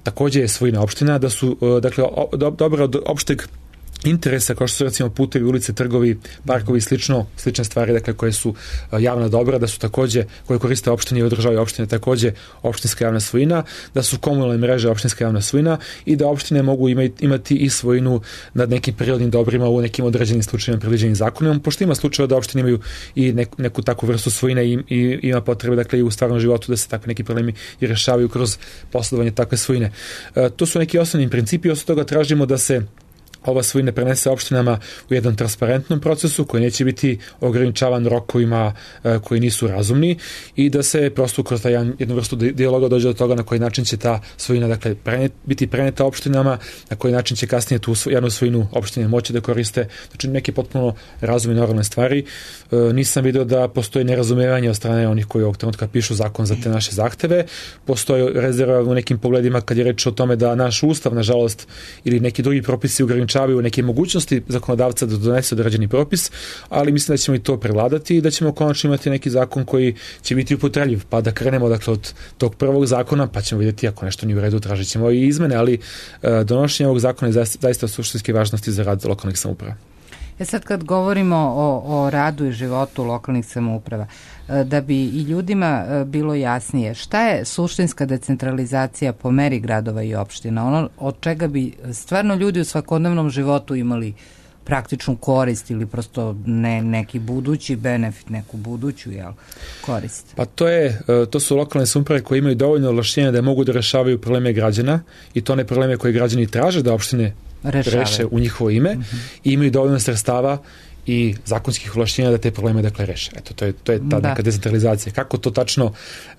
takođe je svojina opština, da su, dakle, dobro od opšteg interesa, kao što su recimo putevi, ulice, trgovi, parkovi i slične stvari, dakle, koje su javna dobra, da su takođe, koje koriste opštine i održavaju opštine, takođe opštinska javna svojina, da su komunalne mreže opštinska javna svojina i da opštine mogu imati i svojinu nad nekim prirodnim dobrima u nekim određenim slučajima predviđenim zakonom, pošto ima slučajeva da opštine imaju i neku takvu vrstu svojine i ima potrebe, dakle, i u stvarnom životu da se takvi neki problemi i rešavaju kroz posledovanje takve svojine. To su neki osnovni principi, osim toga tražimo da se ova svojina prenese opštinama u jednom transparentnom procesu koji neće biti ograničavan rokovima koji nisu razumni i da se prosto kroz jednu vrstu dijaloga dođe do toga na koji način će ta svojina, dakle, biti preneta opštinama, na koji način će kasnije tu jednu svojinu opštine moći da koriste. Znači neke potpuno razumne normalne stvari. Nisam vidio da postoji nerazumevanje od strane onih koji ovog trenutka pišu zakon za te naše zahteve. Postoji rezerva u nekim pogledima kad je reč o tome da naš ustav, nažalost, ili neki drugi propisi ograničavaju ograničavaju neke mogućnosti zakonodavca da donese određeni propis, ali mislim da ćemo i to prevladati i da ćemo konačno imati neki zakon koji će biti upotrebljiv, pa da krenemo dakle od tog prvog zakona, pa ćemo vidjeti ako nešto nije u redu, tražit ćemo i izmene, ali donošenje ovog zakona je zaista suštinske važnosti za rad lokalnih samouprava. Sad kad govorimo o radu i životu lokalnih samouprava, da bi i ljudima bilo jasnije, šta je suštinska decentralizacija po meri gradova i opština? Ono od čega bi stvarno ljudi u svakodnevnom životu imali praktičnu korist ili prosto neki budući benefit, neku buduću korist? Pa to su lokalne samouprave koje imaju dovoljno ovlašćenja da mogu da rešavaju probleme građana i to ne probleme koje građani traže da opštine reše u njihovo ime i imaju dovoljno sredstava i zakonskih ovlašćenja da te probleme dakle reše. Eto, to je ta neka decentralizacija. Kako to tačno,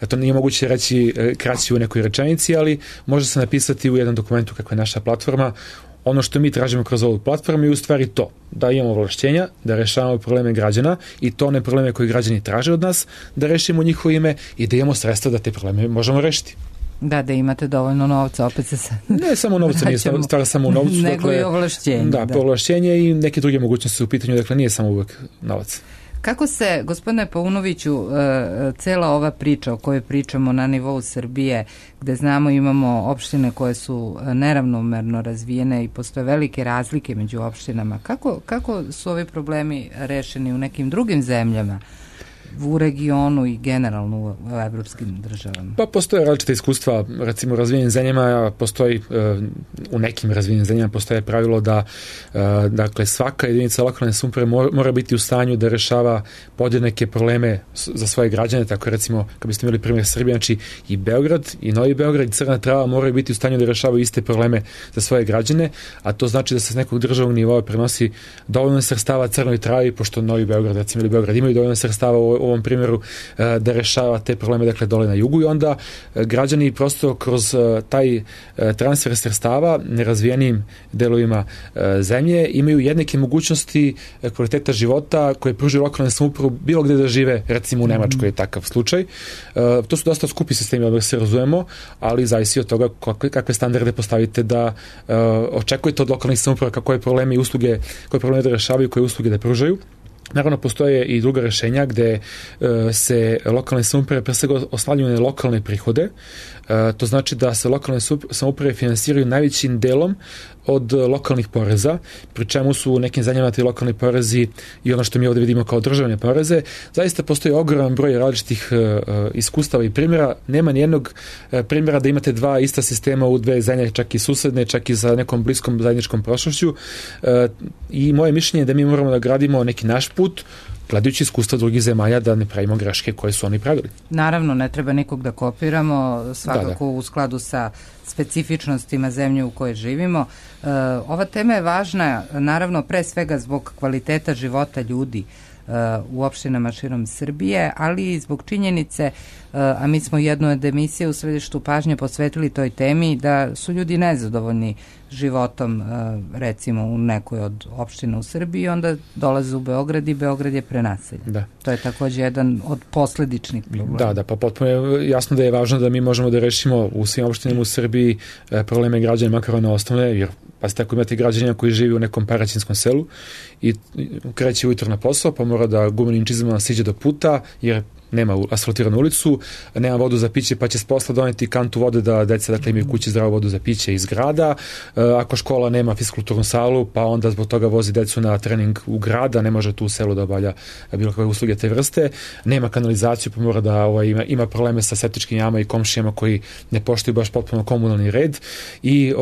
to nije moguće reći kraći u nekoj rečenici, ali može se napisati u jednom dokumentu kako je naša platforma. Ono što mi tražimo kroz ovu platformu je u stvari to, da imamo ovlašćenja, da rešavamo probleme građana i to ne probleme koje građani traže od nas, da rešimo u njihovo ime i da imamo sredstva da te probleme možemo rešiti. Da imate dovoljno novca, opet se sad... Ne samo novca, nije stvar samo u novcu. Nego i ovlašćenje. Da, ovlašćenje i neke druge mogućnosti u pitanju, dakle nije samo uvek novac. Kako se, gospodine Paunoviću, cela ova priča o kojoj pričamo na nivou Srbije, gde znamo imamo opštine koje su neravnomerno razvijene i postoje velike razlike među opštinama, kako su ovi problemi rešeni u nekim drugim zemljama? U regionu i generalno u evropskim državama? Pa postoje različite iskustva, recimo u razvijenim zemljama u nekim razvijenim zemljama postoje pravilo da dakle svaka jedinica lokalne samouprave mora biti u stanju da rešava podjednake probleme za svoje građane, tako recimo kad biste imali primjer Srbije, znači i Beograd i Novi Beograd i Crna Trava moraju biti u stanju da rešavaju iste probleme za svoje građane, a to znači da se s nekog državnog nivoa prenosi dovoljno sredstava Crnoj Travi, pošto Novi Beograd recimo ili Beograd imaju dovoljno sredstava u ovom primjeru da rešava te probleme dakle dole na jugu i onda građani prosto kroz taj transfer sredstava nerazvijenim delovima zemlje imaju jednake mogućnosti kvaliteta života koje pružaju lokalne samouprave bilo gde da žive, recimo u Nemačkoj je takav slučaj. To su dosta skupi sistemi, da se razumemo, ali zavisi od toga kakve standarde postavite da očekujete od lokalnih samouprava koje probleme i usluge, koje probleme da rešavaju, koje usluge da pružaju. Naravno, postoje i druga rešenja gde se lokalne samouprave pre svega oslanjaju na lokalne prihode. To znači da se lokalne samouprave finansiraju najvećim delom od lokalnih poreza, pri čemu su u nekim zemljama ti lokalni porezi i ono što mi ovdje vidimo kao državne poreze. Zaista postoji ogroman broj različitih iskustava i primjera. Nema nijednog primjera da imate dva ista sistema u dve zemlje, čak i susedne, čak i za nekom bliskom zajedničkom prošlošću. I moje mišljenje je da mi moramo da gradimo neki naš put, gledajući iskustva drugih zemalja, da ne pravimo greške koje su oni pravili. Naravno, ne treba nikog da kopiramo, svakako u skladu sa specifičnostima zemlje u kojoj živimo. Ova tema je važna, naravno, pre svega zbog kvaliteta života ljudi u opštinama širom Srbije, ali i zbog činjenice, a mi smo jednu od emisije u središtu pažnje posvetili toj temi, da su ljudi nezadovoljni životom, recimo u nekoj od opština u Srbiji, onda dolaze u Beograd i Beograd je prenaseljen. Da. To je takođe jedan od posledičnih problema. Da, pa potpuno je jasno da je važno da mi možemo da rešimo u svim opštinama u Srbiji probleme građana, makar one osnovne, jer pazite, ako imate građanina koji živi u nekom paraćinskom selu i kreće ujutro na posao, pa mora da gumenim čizmama siđe do puta, jer nema asfaltiranu ulicu, nema vodu za piće, pa će s posla doneti kantu vode da deca dakle imaju kući zdravu vodu za piće iz grada. Ako škola nema fiskulturnu salu, pa onda zbog toga vozi decu na trening u grada, ne može tu u selu da obavlja bilo kakve usluge te vrste. Nema kanalizaciju, pa mora da ima probleme sa septičkim jamama i komšijama koji ne poštuju baš potpuno komunalni red i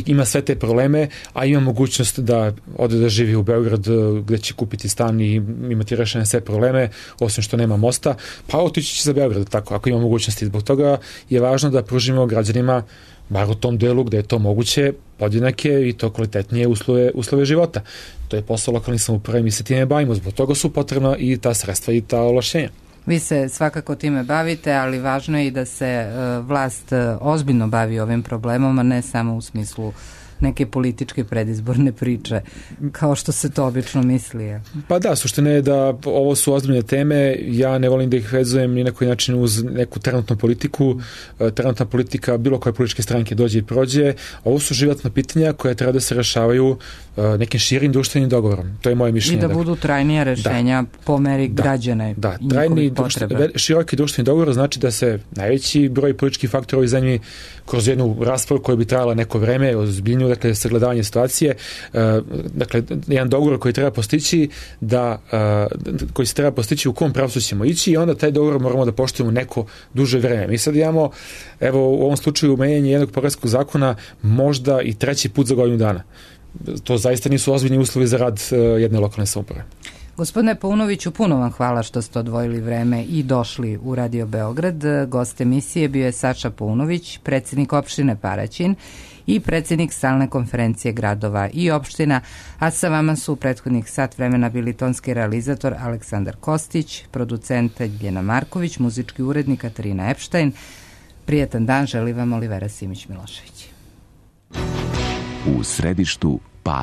ima sve te probleme, a ima mogućnost da ode da živi u Beograd gde će kupiti stan i imati rešene sve probleme, osim što nema mosta. Pa otići će za Beograd, tako, ako ima mogućnosti. Zbog toga je važno da pružimo građanima, bar u tom delu gde je to moguće, podjednake i to kvalitetnije uslove života. To je posao lokalnih samouprava i mi se time bavimo. Zbog toga su potrebna i ta sredstva i ta ovlašćenja. Vi se svakako time bavite, ali važno je i da se vlast ozbiljno bavi ovim problemom, a ne samo u smislu neke političke predizborne priče, kao što se to obično misli. Pa da, suština je da ovo su ozbiljne teme, ja ne volim da ih vezujem ni na koji način uz neku trenutnu politiku. Trenutna politika bilo koje političke stranke dođe i prođe. Ovo su životna pitanja koje treba da se rešavaju nekim širim društvenim dogovorom. To je moje mišljenje. I da budu trajnija rešenja po meri građana i njihovih potrebe. Široki društveni dogovor znači da se najveći broj političkih faktora u ovoj zemlji kroz jednu raspravu koja bi trajala neko vreme, ozbiljniju, dakle, sagledavanje situacije, dakle, jedan dogovor koji treba postići koji se treba postići u kom pravcu ćemo ići i onda taj dogovor moramo da poštujemo neko duže vreme. Mi sad imamo, evo, u ovom slučaju menjanje jednog poreskog zakona možda i treći put za godinu dana. To zaista nisu ozbiljni uslovi za rad jedne lokalne samouprave. Gospodine Paunoviću, puno vam hvala što ste odvojili vreme i došli u Radio Beograd. Gost emisije bio je Saša Paunović, predsjednik opštine Paraćin i predsjednik Stalne konferencije gradova i opština, a sa vama su u prethodnih sat vremena bili tonski realizator Aleksandar Kostić, producent Ljena Marković, muzički urednik Katarina Epštajn. Prijetan dan želi vam Olivera Simić-Milošević. U središtu pažnje.